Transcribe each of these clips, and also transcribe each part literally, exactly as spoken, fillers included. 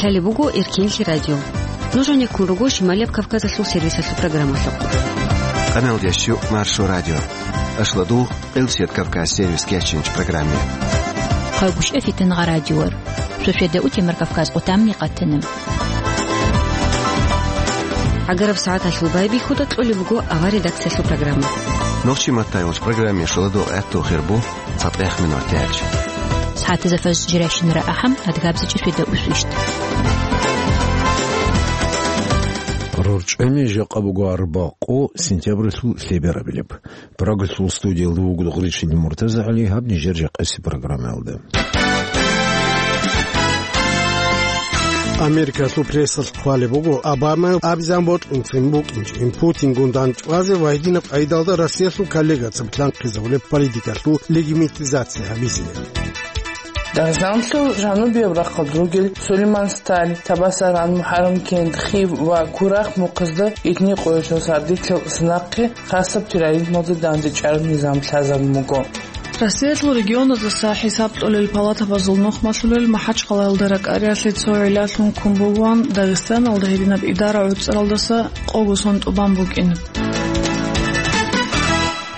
Лъалеб буго Эркенлъи радио. Нуж гьанеккун руго Шималияб Кавказалъул сервисалъул программалъухъ. Къаналдящу Маршо радио. Ашладу Къилсият Кавказ сервис кечинч программе. Хъагушев Фитен Гъарадиор. Шошеда утемар Кавказ къутамни къатана. Агараб сагӀаталъул байбихьуда кьолеб буго авар редакциялъул программа. Нохчи маттайвуч программе шуладу гӀатту хирбу цатӀех минут тяч. СагӀатазда фаз жиращинара ахӀам адгабзичӀи шуеда усвищт. РорчӀами жакъа буго арбакъо сентябралъул лъеберабилеб. Прагалъул студиялда вуго Гъричил Муртаза ГӀали, гьаб нижер жакъаси программаялда. Америкалъул прессалъ хъвалеб буго, Обамайл абизан бокьунцин букӀинчӀин Путингун дандчӀвазе ва гьединаб къайдалда Россиялъул коллегацаби лъанхъизабулеб политикалъул легитимизация гьабизе. Дагъистаналъул жанубияб рахъалда ругел Сулейман Сталь, Табасаран, МухӀаррам кент, Хив ва Курахъ мухъазда итни къоялъул сардилъал санахъе хасаб терроризмалда дандчӀвараб низам лъазабун буго. Россиялъул регионаздаса хӀисаб тӀолел палатабазул нухмалъулел МахӀачхъалаялда ракӀариялъе цо гӀиллалъун ккун бугоан Дагъистаналда гьединаб идара гӀуцӀаралдаса къого сон тӀубан букӀин.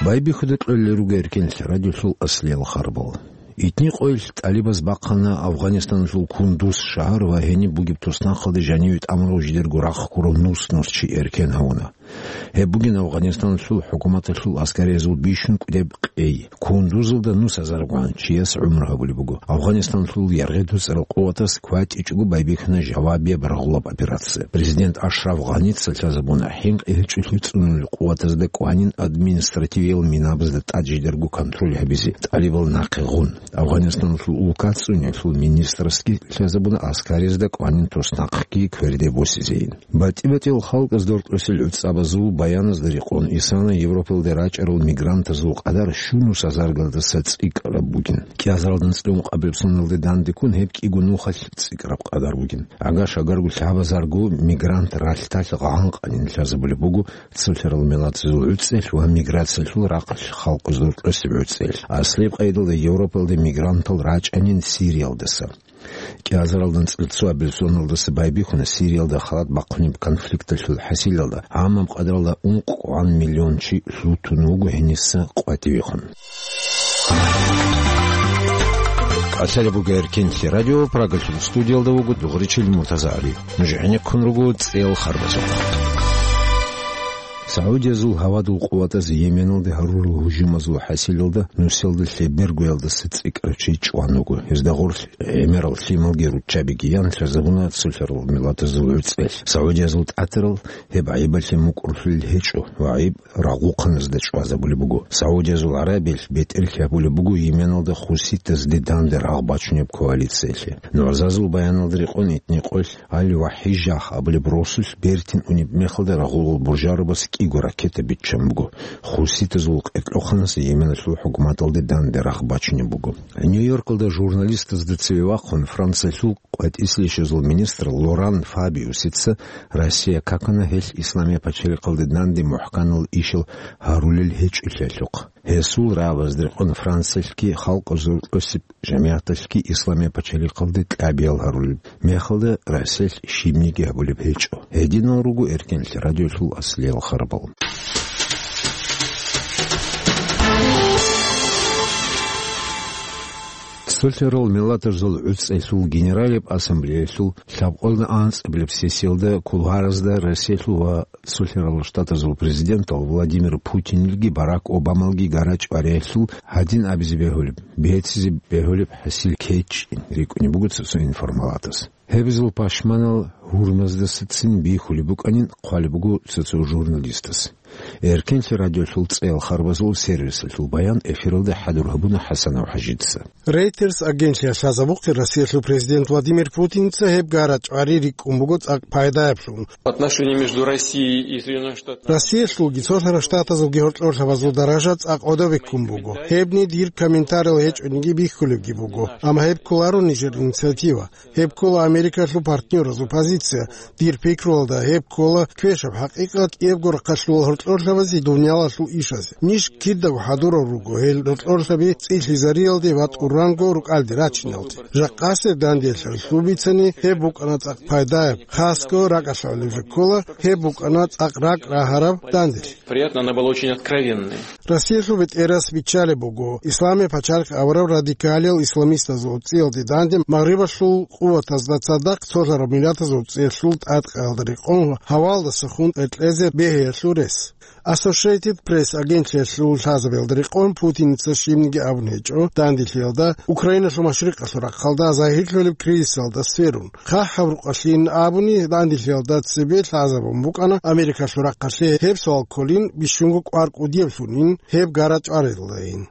Байбихьуда кьолел руго Эркенлъи радиолъул аслиял харбал. Итни къоялъ тӀалибаз бахъана Афганистаналъул Кундуз шагьар ва гьениб бугеб туснахъалде жаниве тӀамурав жидерго рахъ ккурав нус-нус чи эркен гьавуна. Гьеб бугин Афганистаналъул хӀукуматалъул аскариязул бищун кӀудеб къей. Кундузалда нус азаргун чияс гӀумру гьабулеб буго. Афганистаналъул яргъи-дуцӀарал къуватас кватӀичӀого байбихьана жавабияб рагъулаб операция. Президент Ашраф Гъаница лъазабуна хӀинкъи гьечӀолъи цӀунулел къуватазда кӀванин административиял минабазда тӀад жидерго контроль гьабизе, тӀалибал нахъе гъун. Афганистаналъул улкацӀцӀуниялъул министрасги лъазабуна аскаризда кӀванин туснахъги кверде босизейин. БатӀи-батӀиял халкъаз доркьосел гӀуцӀабазул баяназда рекъон исана Европалде рачӀарал мигрантазул къадар щунус азаргалдаса цӀикӀкӀараб бугин. КӀиазаралда анцӀила ункъабилеб соналде дандеккун гьеб кӀиго нухалъ цӀикӀкӀараб къадар бугин. Агар-шагарго лъабазарго мигрант ралъдалъ гъанкъанин лъазабулеб буго цолъарал миллатазул гӀуцӀелъ ва миграциялъул рахъалъ халкъаз доркьосеб гӀуцӀелъ. Аслияб къайдалда Европалде мигрантал рачӀанин Сириялдаса. КӀиазаралда анцӀила цоабилеб соналдаса байбихьуна Сириялда халат бахъунеб конфликталъул хӀасилалда гӀамаб къадралда ункъгӀан миллион чи лъутун вуго гьениса къватӀивехун. Лъалеб буго Эркенлъи радио, Прагалъул студиялда вуго Дугъричил Муртаза ГӀали. Нуж гӀенеккун руго цӀел харбазухъ. Саудиязул гьавадул къуватаз Йеменалде гьарурал гьужумазул хӀасилалда нусиялда лъебергоялдаса цӀикӀкӀарав чи чӀван вуго. Гьезда гъорлъ гӀемерал лъималги руччабиги ян лъазабуна цолъарал миллатазул гӀуцӀелъ. Саудиязул тӀатарал гьеб гӀайибалъе мукӀурлъулел гьечӀо ва гӀайиб рагъухъаназда чӀвазабулеб буго. Саудиязул ГӀарабиялъ бетӀерлъи гьабулеб буго Йеменалда хуситазде данде рагъ бачунеб коалициялъе. НугӀзазул баяналда рекъон итни къоялъ Аль-Вахижах абулеб росулъ бертин унеб мехалда рагъулал буржарабас кӀиго ракета биччан буго. Хуситазул къеркьоханас Йеменалъул хӀукуматалде данде рагъ бачунеб буго. Нью-Йоркалда журналистазда цеве вахъун Франциялъул къватӀислъищазул министр Лоран Фабиусица Россия какана гьелъ Исламия пачалихъалде данде мухӀканал ишал гьарулел гьечӀолъиялъухъ. Гьесул рагӀабазда рекъон Франциялъги халкъазул кьосеб жамигӀаталъги Исламия пачалихъалде кӀабиял гьарулеб мехалда Россиялъ щибниги гьабулеб гьечӀо. Гьединал руго Эркенлъи радиолъул аслиял харбал. Цолъарал миллатазул гӀуцӀелъул генералияб ассамблеялъул лъабкъоялда анцӀабилеб сессиялда кулуаразда Россиялъул ва Цолъарал Штатазул президентал Владимир Путинилги Барак Обамалги гара-чӀвариялъул гьадин абизе бегьулеб, бегьцизе бегьулеб хӀасил кечӀин рикӀкӀунеб буго цо-цо информалатас. Гьеб жо пашманал гьурмаздасацин бихьулеб букӀанин хъвалеб буго цо-цо журналистас. Эркенлъи радиолъул цӀел харбазул сервисалъул баян эфиралда хӀадур гьабуна ХӀасанов ХӀажица. Рейтерс агентлъиялъ лъазабухъе Россиялъул президент Владимир Путинца гьеб гара-чӀвари рикӀкӀун буго цӀакъ пайдаяблъун. Отношения между Россией и Соединёнными Штатами. Россиялъулги Цолъарал Штатазулги гьоркьорлъабазул даража цӀакъ гӀодобе ккун буго. Гьебни дир комментариял гьечӀониги бихьулебги буго. Амма гьеб кколаро нижер инициатива. Гьеб ккола Америкалъул партнёразул позиция. Дир пикруялда, гьеб ккола квешаб хӀакъикъат кӀиябго рахъалъувал гьоркьорлъабазе дуниялалъул ишазе. Ниж кидаго хӀадурал руго гьел гьоркьорлъаби цӀилъизариялде ва тӀуранго рукӀалде рачиналде. Жакъасеб данделъ лъубицани, гьеб букӀана цӀакъ пайдаяб, хасго ракӀалъулеб жо ккола, гьеб букӀана цӀакъ ракӀ рагьараб данделъ. Приятно, она была очень откровенной. Россиялъул бетӀерас биччалеб буго, Исламияб пачалихъ абураб радикалиял исламистазул цӀиялде данде Магърибалъул къуватазда цадахъ цолъараб миллатазул цӀиялъул тӀадкъаялда рекъон гьавалдаса хун кьезе бегьиялъул рес. Associated Press агентлъиялъул лъазабиялда рекъон Путиница щибниги абун гьечӀо данделъиялда Украиналъул машрикъалъул рахъалда загьирлъулеб кризисалда сверун. ХъахӀаб рукъалъин абуни, данделъиялда цебе лъазабун букӀана Америкалъул рахъалъе гьеб суал кколин, бищунго кӀвар кӀудияблъунин гьеб гара-чӀварилдайин.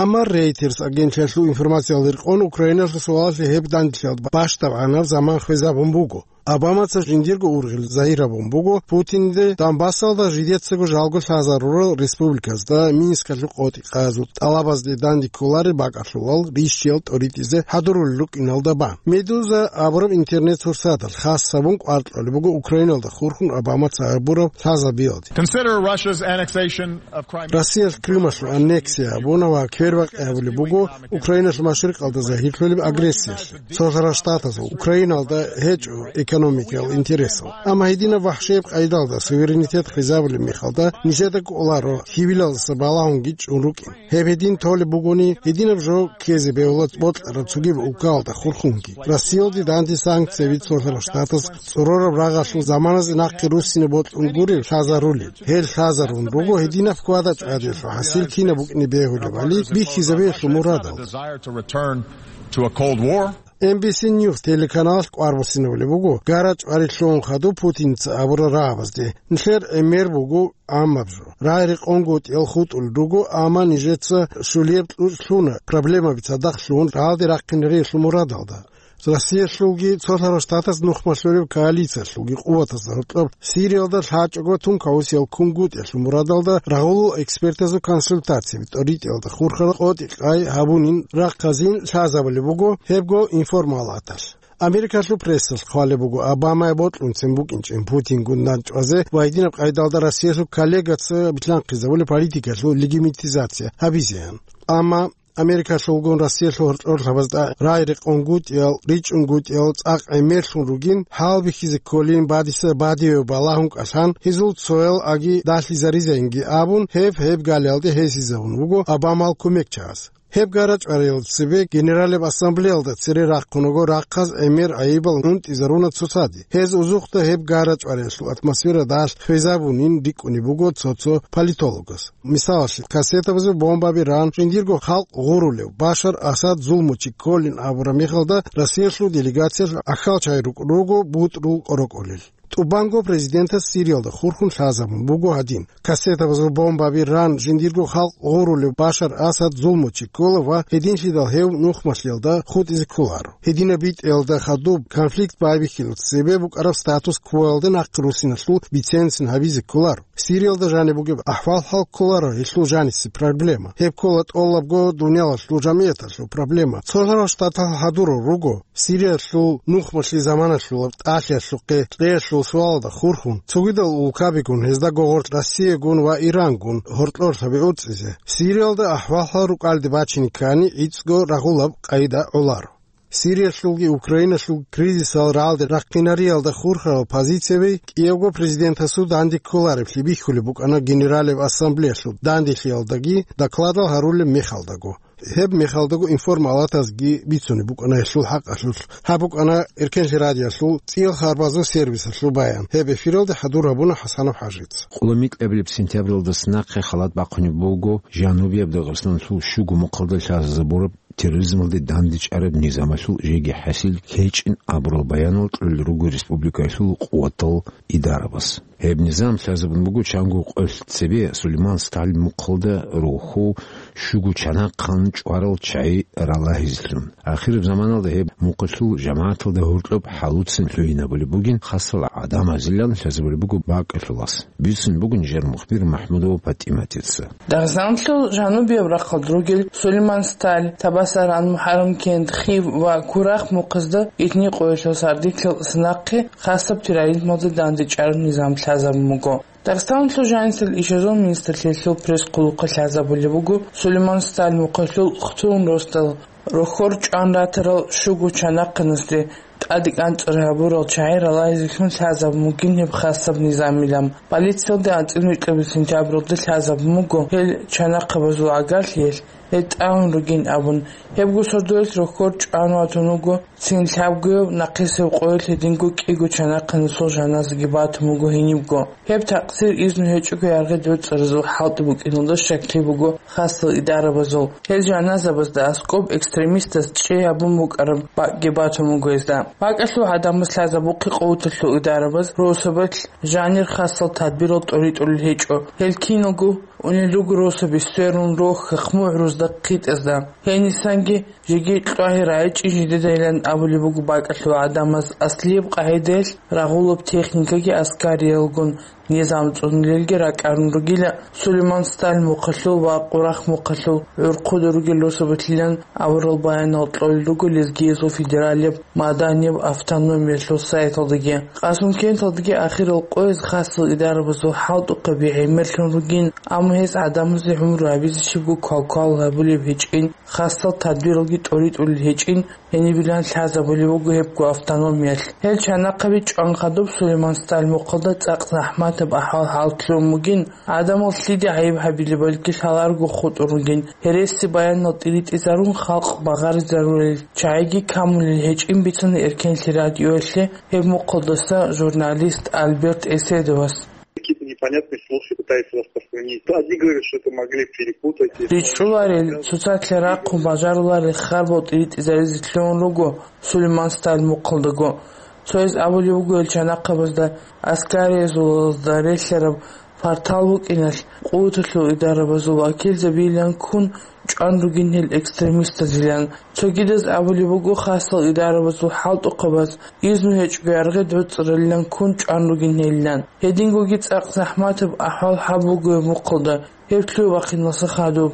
Амма Reuters агентлъиялъул информациялда рекъон Украиналъул суалалъе гьеб данделъиялда бащдабгӀанаб заман хвезабун буго. Обамаца жиндирго ургъел загьир гьабун буго Путинде Донбассалда жидецаго жалго лъазарурал республиказда Минскалъул къотӀи къазул тӀалабазде данде кколарел бакӀалъулал рищиял тӀоритӀизе хӀадурулел рукӀиналда бан. Медуза абураб интернет-сурсаталъ хас гьабун кӀвар кьолеб буго Украиналда хурхун Обамаца гьабураб лъазабиялде. Consider Russia's annexation of Crimea. Россиялъ Крымалъул аннексия гьабуна ва квербакъи гьабулеб буго Украиналъул машрикъалда загьирлъулеб агрессиялъе. Цолъарал Штатазул Украиналда гьечӀо экономикиял интересал. Амма гьединаб вахӀшияб къайдалда суверенитет хвезабулеб мехалда нижеда кӀоларо, хьибилалдаса балагьунги чӀун рукӀин. Гьеб гьедин толеб бугони, гьединаб жо ккезе бегьула бокьараб цогидаб улкаялда хурхунги. Россиялде данде санкцияби Цолъарал Штатаз цӀорораб рагъалъул заманазе нахъе руссине бокьун гурел лъазарулел. Гьел лъазарун руго гьединаб хьвада-чӀвадиялъул хӀасил кинаб букӀине бегьулебали бихьизабиялъул мурадал. Desire to return to a Cold War. Эн Би Си Ньюс телеканалалъ кӀвар буссинабулеб буго гара-чӀвари лъугӀун хадуб Путинца абурал рагӀабазде. Нилъер гӀемер буго гӀаммаб жо. Рагъ-рекъонгутӀиял хутӀулел руго, амма нижеца щулияб кьучӀ лъуна, проблемаби цадахъ лъугьун рагӀалде рахъинариялъул мурадалда. Россиялъулги Цолъарал Штатаз нухмалъулеб коалициялъулги къуватазда гьоркьоб Сириялда лъачӀого тункаусиял кунгутӀиялъул мурадалда рагъулул экспертазул консультацияби тӀоритӀиялда хурхарал къотӀи-къай гьабунин рахъазин лъазабулеб буго гьебго информалаталъ. Америкалъул прессалъ хъвалеб буго Обамае бокьунцин букӀинчӀин Путингун данчӀвазе ва гьединаб къайдалда Россиялъул коллегаца билълъанхъизабулеб политикалъул легитимизация гьабизеян. Амма Америкалъулгун Россиялъул гьоркьорлъабазда рагъ-рекъонгутӀиял, ричӀунгутӀиял цӀакъ гӀемерлъун ругин, гьал бихьизе кколин бадиса бадиве балагьун кӀалъан, гьезул цоял аги далъизаризайинги абун, гьеб-гьеб галиялде гьесизабун буго Обамал кумекчагӀаз. Гьеб гара-чӀвариялда цебе Генералияб Ассамблеялда цере рахъун руго рахъаз гӀемер гӀайибал унтӀизаруна цоцаде. Гьез узухъда гьеб гара-чӀвариялъул атмосфера далъ хвезабунин рикӀкӀунеб буго цо-цо политологас. Мисалалъе, кассетабазул бомбаби ран, жиндирго халкъ гъурулев Башар Асад зулмучи кколин абураб мехалда, Россиялъул делегациялъ ахьал чай рукӀун руго бутӀрул къорокъолел. ТӀубанго президентас Сириялда хурхун лъазабун буго гьадин: кассетабазул бомбаби ран, жиндирго халкъ гъурулев Башар Асад зулмучи ккола ва гьединлъидал гьев нухмалъиялда хутӀизе кколаро. Гьединаб битӀиялда хадуб конфликт байбихьилалъ цебе букӀараб статус-квоялда нахъе руссиналъул бицен-бицен гьабизе кколаро. Сириялда жаниб бугеб ахӀвал-хӀал кколаро гьелъул жанисе проблема. Гьеб ккола тӀолабго дуниялалъул жамигӀаталъул проблема. Цолъарал Штатал хӀадурал руго Сириялъул нухмалъи заманалъулаб тӀалъиялъухъе кьеялъул суалалда хурхун, цогидал улкабигун гьезда гогъорлъ Россиягун ва Ирангун гьоркьорлъаби уцӀизе. Сириялда ахӀвал-хӀал рукӀалде бачине ккани, гӀицӀго рагъулаб къайда гӀоларо. Сириялъулги Украиналъул кризисал рагӀалде рахъинариялда хурхарал позицияби кӀиявго президентасул данде кколареблъи бихьулеб букӀана Генералияб Ассамблеялъул данделъиялдаги докладал гьарулеб мехалдаго. Гьеб мехалдаго информалатазги бицунеб букӀана гьелъул хӀакъалъулъ. Гьаб букӀана Эркенлъи радиоялъул цӀиял харбазул сервисалъул баян. Гьеб эфиралде хӀадур гьабуна ХӀасанов ХӀажица. Къулумикьабилеб сентябралдаса нахъе халат бахъунеб буго Жанубияб Дагъистаналъул щуго мухъалда лъазабураб терроризмалде дандечӀараб низамалъул жеги хӀасил гьечӀин абурал баянал кьолел руго республикаялъул къуватал идарабаз. Гьеб низам лъазабун буго чанго къоялъ цебе Сулейман Сталин мухъалда рохьул щуго чанахъан чӀварал чагӀи ралагьизлъун. Ахираб заманалда гьеб мухъалъул жамагӀаталда гьоркьоб хӀалуцин лъугьинабулеб бугин хасал гӀадамазилан лъазабулеб буго бакӀалъулас. Бицун бугин жер мухбир МахӀмудова ПатӀиматица. Дагъистаналъул жанубияб рахъалда ругел Сулейман Сталин, Табасаран, МухӀаррам-Кент, Хив ва Курахъ мухъазда итни къоялъул сардилъ нахъе хасаб терроризмалда дандечӀараб низам лъазабун буго. Дагъистаналъул жанисел ишазул министрлъиялъул пресс-хъулухъалъ лъазабулеб буго Сулейман Сталин мухъалъул хтун росдал рохьор чӀван ратарал щуго чанахъанасде тӀаде кӀанцӀараб гьабурал чагӀи ралагьизелъун лъазабун бугин гьеб хасаб низамилан. Полициялда анцӀила микьабил сентябралда лъазабун буго гьел чанахъабазул гӀагарлъиялъ гьел тӀамун ругин абун. Гьебго сордоялъ рохьор чӀван ватун вуго, цин лъабгояв нахъисеб къоялъ гьединго кӀиго чанахъанасул жаназаги батун буго гьенибго. Гьеб такъсир изну гьечӀого яргъи доцӀаразул хӀалтӀи букӀиналда щаклъи буго хасал идарабазул. Гьел жаназабазда аскӀоб экстремистас чӀей гьабун букӀараб бакӀги батун буго гьезда. БакӀалъул гӀадамаз лъазабухъе къуваталъул идарабаз росабалъ жанир хасал тадбирал тӀоритӀулел гьечӀо. Гьел киналго унел руго росаби сверун рохьа хъмугӀрузда хъитӀазда. Гьенисанги жеги кьвагьи рагӀичӀин жидедайилан абулеб буго бакӀалъул гӀадамаз аслияб къагӀидаялъ рагъулаб техникаги аскариялгун низам цӀунулелги ракӀарун ругила Сулейман Сталин мухъалъул ва Курахъ мухъалъул гӀурхъуда ругел росабалъилан аварал баянал кьолел руго Лезгиязул федералияб маданияб автономиялъул сайталдаги. Къасумкенталдаги ахирал къояз хасал идарабазул хӀалтӀухъаби гӀемерлъун ругин, амма гьез гӀадамазе гӀумру гьабизе щибго квалквал гьабулеб гьечӀин, хасал тадбиралги тӀоритӀулел гьечӀин, гьенибилан лъазабулеб буго гьебго автономиялъ. Гьел чанахъаби чӀван хадуб Сулейман Сталин мухъалда цӀакъ захӀматаб ахӀвал-хӀал лъугьун бугин, гӀадамал лъида гӀайиб гьабилеб, балки лъаларго хутӀун ругин, гьереси баянал тӀиритӀизарун халкъ багъаризарулел чагӀиги камулел гьечӀин бицана эркенлъи радиоялъе гьеб мухъалдаса журналист Альберт Эседовас. Какие-то непонятные слухи пытаются распространить. Одни говорят, что это могли перепутать. РичӀчӀуларел, цоцалъа рахъун бажаруларел харбал тӀиритӀизаризе лъугьун руго Сулейман Сталин мухъалдаго. Цояз абулеб буго гьел чанахъабазда аскариязулазда релълъараб партал букӀиналъ, къуваталъул идарабазул вакилзабийилан ккун чӀван ругин гьел экстремистазилан. Цогидаз абулеб буго хасал идарабазул хӀалтӀухъабаз изну гьечӀго яргъи доцӀаралилан ккун чӀван ругин гьелилан. Гьедингоги цӀакъ захӀматаб ахӀвал гьаб буго гьеб мухъалда, гьеб лъугьа-бахъиналъа хадуб.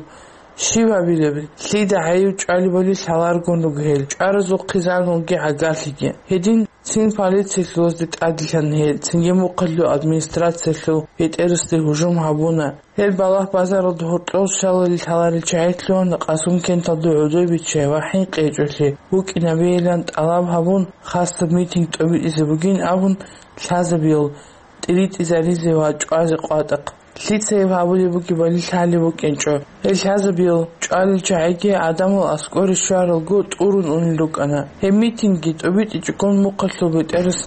Щиб гьабилеб? Лъида гӀайиб чӀвалебали лъаларгун руго гьел, чӀваразухъе заналги гӀагарлъиги. Гьедин цин полициялъулазде тӀаделъана гьел, цинги мухъалъул администрациялъул бетӀерасде гьужум гьабуна. Гьел балагь-базаралда гьоркьор щалали лъаларел чагӀи лъугьана Къасумкенталда гӀодобиччай ва ХӀинкъичӀолъи букӀинабейилан тӀалаб гьабун, хасаб митинг тӀобитӀизе бугин абун, лъазабиял тӀиритӀизаризе ва чӀвазе къватӀахъ. Лъицайиб гьабулеб бугебали лъалеб букӀинчӀо. Гьел лъазабиял чӀвалел чагӀиги гӀадамал аскӀоре щваралго тӀурун унел рукӀана. Гьеб митингги тӀобитӀичӀогон мухъалъул бетӀерас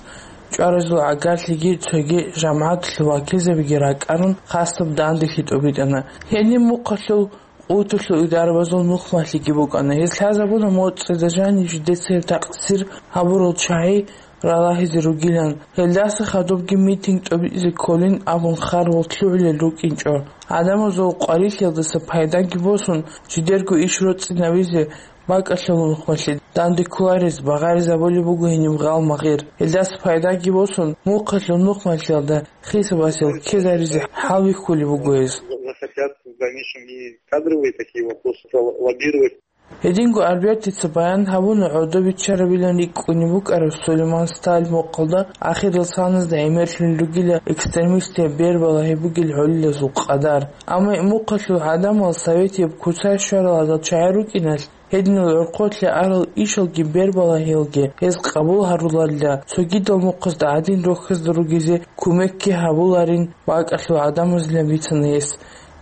чӀваразул гӀагарлъиги цоги жамагӀаталъул вакилзабиги ракӀарун, хасаб данделъи тӀобитӀана. Гьениб мухъалъул къуваталъул идарабазул нухмалъиги букӀана. Гьез лъазабуна моцӀида жанив жидеца гьеб такъсир гьабурал чагӀи ралагьизе ругилан. Гьелдаса хадубги митинг тӀобитӀизе кколин абун харбал лъугӀулел рукӀинчӀо. ГӀадамазул къварилъиялдаса пайдаги босун, жидерго иш роцӀцӀинабизе бакӀалъул нухмалъе данде кколарез багъаризабулеб буго гьениб гъал-магъир. Гьелдаса пайдаги босун, мухъалъул нухмалъиялда хисабасел ккезаризе хӀалбихьулеб буго гьез. Захотят в дальнейшем и кадровые такие вопросы лоббировать. Гьединго Альбертица баян гьабуна гӀодобиччарабилан рикӀкӀунеб букӀараб Сулейман Сталин мухъалда ахирал саназда гӀемерлъун ругила экстремистияб бербалагьи бугел гӀолилазул къадар. Амма мухъалъул гӀадамал советияб куцай щварал гьадал чагӀи рукӀиналъ, гьединал гӀорхъолъе арал ишалги бербалагьиялги гьез къабул гьаруларила, цогидал мухъазда гӀадин рохьазда ругезе кумекги гьабуларин бакӀалъул гӀадамазилан бицана гьес.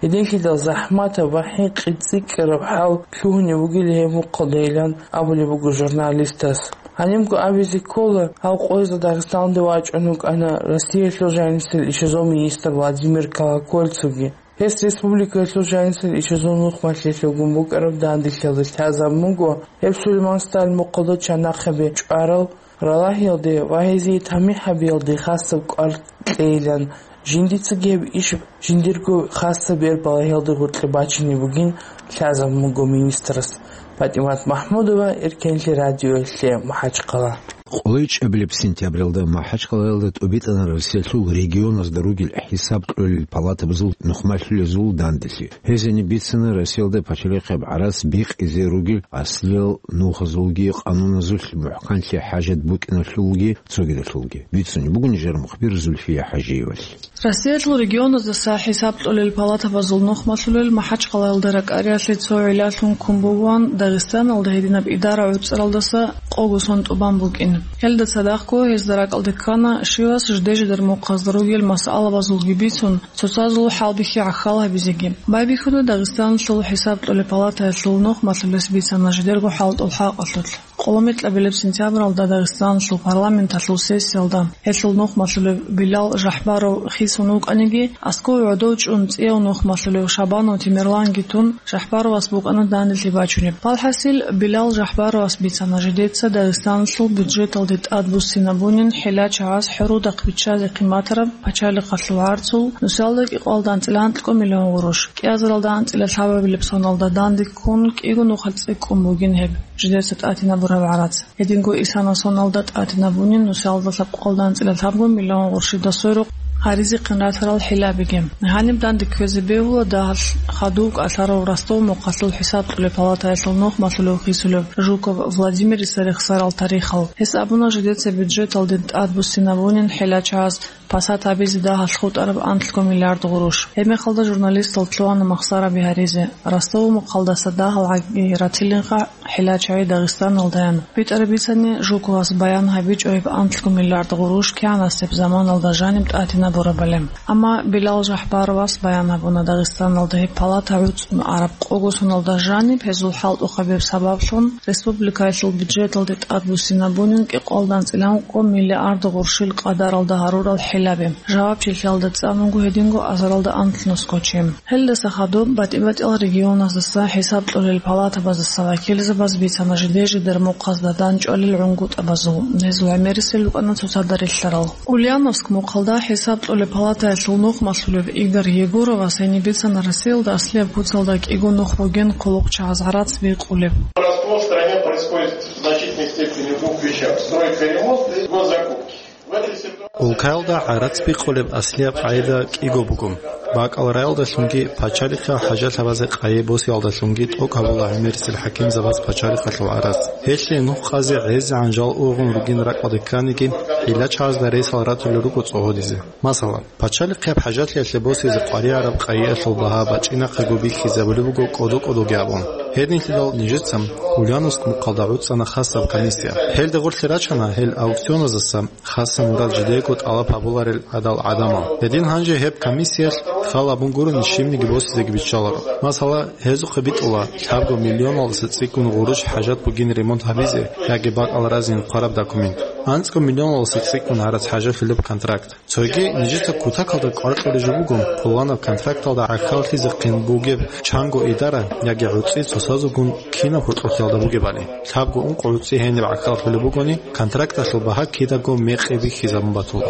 Гьединлъидал захӀматаб ва хӀинкъи цӀикӀкӀараб хӀал лъугьунеб бугила гьеб мухъалдайилан абулеб буго журналистас. Гьанибго абизе ккола, гьал къоязда Дагъистаналде вачӀун вукӀана Россиялъул жанисел ишазул министр Владимир Колокольцевги. Гьес республикаялъул жанисел ишазул нухмалъиялъулгун букӀараб данделъиялда лъазабун буго гьеб Сулейман Сталин мухъалда чанахъаби чӀварал балагьиялде ва гьезие тамихӀ гьабиялде хасаб кӀвар кьейилан, жиндицаги гьеб иш жиндирго хасаб бер балагьиялде гъоркье бачине бугин лъазабун буго министрас. ПатӀимат МахӀмудова, Эркенлъи радиоялъе, МахӀачхъала. КъолайчӀебилеб сентябралда МахӀачхъалаялда тӀубитӀана Россиялъул регионазда ругел хӀисаб кьолел палатабазул нухмалъулезул данделъи. Гьезие бицана Россиялда пачалихъияб гӀарац бикъизе ругел аслиял нухазулги къануназулъ мухӀканлъи хӀажат букӀиналъулги цогидалъулги. Бицунеб буго нижер мухбир Зульфия ХӀажиевалъ. Россиялъул регионаздаса хӀисаб кьолел палатабазул нухмалъулел МахӀачхъалаялда ракӀариялъе цо гӀиллалъун ккун бугоан Дагъистаналда гьединаб идара гӀуцӀаралдаса къого сон тӀубан букӀин. Гьелда цадахъго гьезда ракӀалде ккана щивас жиде-жидер мухъазда ругел масъалабазулги бицун, цоцазул хӀалбихьи гӀахьал гьабизеги. Байбихьуда Дагъистаналъул хӀисаб кьолеб палатаялъул нухмалъулес бицана жидерго хӀалтӀул хӀакъалъулъ. Къоломикьабилеб сентябралда Дагъистаналъул парламенталъул сессиялда гьелъул нухмалъулев Билал Жахбаров хисун вукӀаниги, аскӀов гӀодов чӀун цӀияв нухмалъулев Шабанов Темирланги тун, Жахбаровас букӀана данделъи бачунеб. Валхасил, Билал Жахбаровас бицана жидеца Дагъистаналъул бюджеталде тӀад буссинабунин хӀилачагӀаз хӀурудахъ биччазе хъиматараб пачалихъалъул гӀарцул нусиялда кӀикъоялда анцӀила анкьго миллион гъурущ. КӀиазаралда анцӀила лъабабилеб соналда данде ккун кӀиго нухалъ цӀикӀкӀун бугин гьеб жидеца тӀатинабураб гӀарац. Гьединго исана соналда тӀатинабунин нусиялда лъабкъоялда анцӀила лъабго миллион гъурущида сверухъ гьаризехъин ратарал хӀилабиги. Гьаниб данде кквезе бегьула дагьалъ хадув кӀалъарав Ростов мухъалъул хӀисаб кьолеб палатаялъул нухмалъулев хисулев Жуков Владимирица рехсарал тарихал. Гьес абуна жидеца бюджеталде тӀад буссинабунин хӀилачагӀаз пасат гьабизе дагьалъ хутӀараб анлъго миллиард гъурущ. Гьебмехалда журналистал лъугьана махсараби гьаризе, Ростов мухъалдаса дагьал гӀаги ратилинха хӀилачагӀи Дагъистаналдаян. БитӀараб бицани, Жуковас баян гьабичӀо гьеб анлъго миллиард гъурущ кигӀанасеб заманалда жаниб тӀатинабурабали. Амма Билал Жахбаровас баян гьабуна Дагъистаналда гьеб палата гӀуцӀун араб къого соналда жаниб гьезул хӀалтӀухъабияб сабаблъун республикаялъул бюджеталде тӀад буссинабунин кӀикъоялда анцӀила анкьго миллиард гъурущил къадаралда гьарурал хӀилаби. Жавабчилъиялда цӀанунго гьединго азаралда анлънусго чи. Гьелдаса хадуб батӀи-батӀиял регионаздаса хӀисаб кьолел палатабаздаса вакилзабаз бицана жиде-жидер мухъазда данчӀвалел гӀунгутӀабазул. Гьезул гӀемерисел рукӀана цоцазда релълъарал. Ульяновск мухъалда хӀисаб кьолеб палатаялъул нухмалъулев Игорь Егоровас гьениб бицана Россиялда аслияб куцалда кӀиго нух бугин хъулухъчагӀаз гӀарац бикъулеб. У нас в стране происходит в значительной степени в двух вещах. Стройка и ремонт и госзакупки. В этой ситуации Улкаялда гӀарац бикъулеб аслияб къагӀида кӀиго буго. БакӀал раялдалъунги пачалихъал хӀажат гьабазе къайи босиялдалъунги тӀокӀ гьабула гӀемерисел хӀакимзабаз пачалихъалъул гӀарац. Гьелъие нух къазе гӀезегӀан жал ургъун ругин ракӀалде кканиги, гӀилла чагӀазда ресал ратулел руго цӀогьодизе. Масала, пачалихъияб хӀажатлъиялъе босизе къваригӀараб къайиялъул багьа бачӀинахъего бихьизабулеб буго кӀодо-кӀодоги абун. Гьединлъидал нижеца Ульяновск мухъалда гӀуцӀана хасаб комиссия. Гьелде гъорлъе рачана гьел аукционаздаса хасаб мурад жидего тӀалаб гьабуларел гӀадал гӀадамал. Гьедин гьанже гьеб комиссиялъ хал абун гурони щибниги босизеги биччаларо. Масала, гьезухъе битӀула лъабго миллионалдаса цӀикӀкӀун гъурущ хӀажат бугин ремонт гьабизе яги бакӀал разин хъвараб документ. АнцӀго миллионалдаса цӀикӀкӀун гӀарац хӀажалъулеб контракт. Цоги нижеца кутакалда кӀвар кьолеб жо буго, пуланаб контракталда гӀахьаллъизехъин бугеб чанго идара яги гӀуцӀи цоцазулгун кинаб гьоркьохъалда бугебали. Лъабго-ункъо гӀуцӀи гьениб гӀахьаллъулеб бугони, контракталъул багьа кидаго мекъи бихьизабун батула.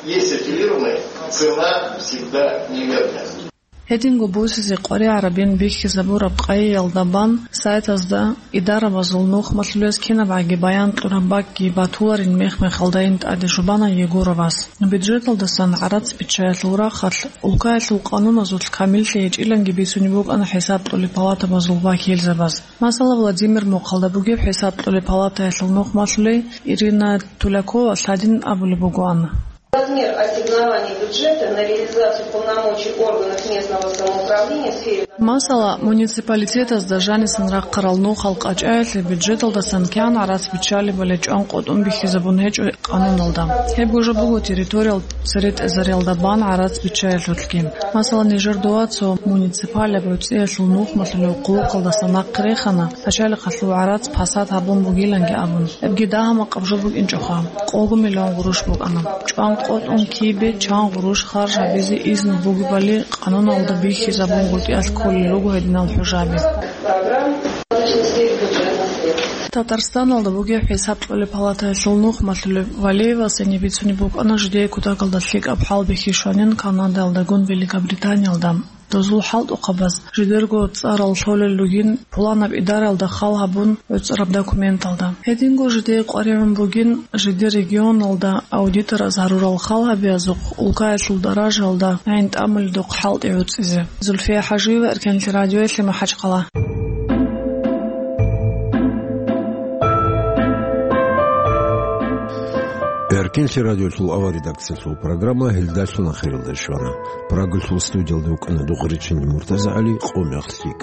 Есть аффилированная цена всегда неверная. Гьединго босизе къваригӀарабин бихьизабураб къайиялда бан сайтазда идарабазул нухмалъулез кинабгӀаги баян кьураб бакӀги батуларин мех-мехалдайин тӀаде жубана Егоровас. Бюджеталдасан гӀарац биччаялъул рахъалъ, улкаялъул къануназулъ камиллъи гьечӀиланги бицунеб букӀана хӀисаб кьолеб палатабазул вакилзабаз. Масала, Владимир мухъалда бугеб хӀисаб кьолеб палатаялъул нухмалъулей Ирина Тулякова лъадин абулеб бугоан. Размер ассигнований бюджета на реализацию полномочий органов местного самоуправления в сфере Масала, муниципалитетазда жанисан рахъарал нухал къачӀаялъе бюджеталдасан кигӀан гӀарац биччалебали чӀван къотӀун бихьизабун гьечӀо къануналда. Гьебго жо буго территориял цере тӀезариялда бан гӀарац биччаялъулъги. Масала, нижер дова цо муниципалияб гӀуцӀиялъул нухмалъулев хъулухъалдаса нахъе рехана, пачалихъалъул гӀарац пасат гьабун бугиланги абун. Гьебги дагьа-макъаб жо букӀинчӀоха, къого миллион гъурущ букӀана. ЧӀван къотӀун кибе чан гъурущ харж гьабизе изну бугебали къануналда бихьизабунгутӀиялъ кколел руго гьединал хӀужаби. Татарстаналда бугеб ХӀисаб кьолеб палатаялъул нух малъулеб Валиевас гьениб бицунеб букӀана жидее кутакалда лъикӀаб хӀал бихьи щванин Канадаялдагун Великобританиялда. Дозул хӀалтӀухъабаз жидерго цӀарал лъолел ругин пуланаб идараялда хал гьабун гӀуцӀараб документалда. Гьединго жидее къваригӀун бугин жидер регионалда аудитораз гьарурал хал гьабиязухъ улкаялъул даражаялда гӀин тӀамуледухъ хӀалтӀи гӀуцӀизе. Зульфия ХӀажиева, Эркенлъи радиоялъе, МахӀачхъала. Эркенлъи радиолъул авар редакциялъул программа гьелдалъун ахиралде щвана. Прагалъул студиялда вукӀана Дугъричин МуртазагӀали. Къо мехлъи.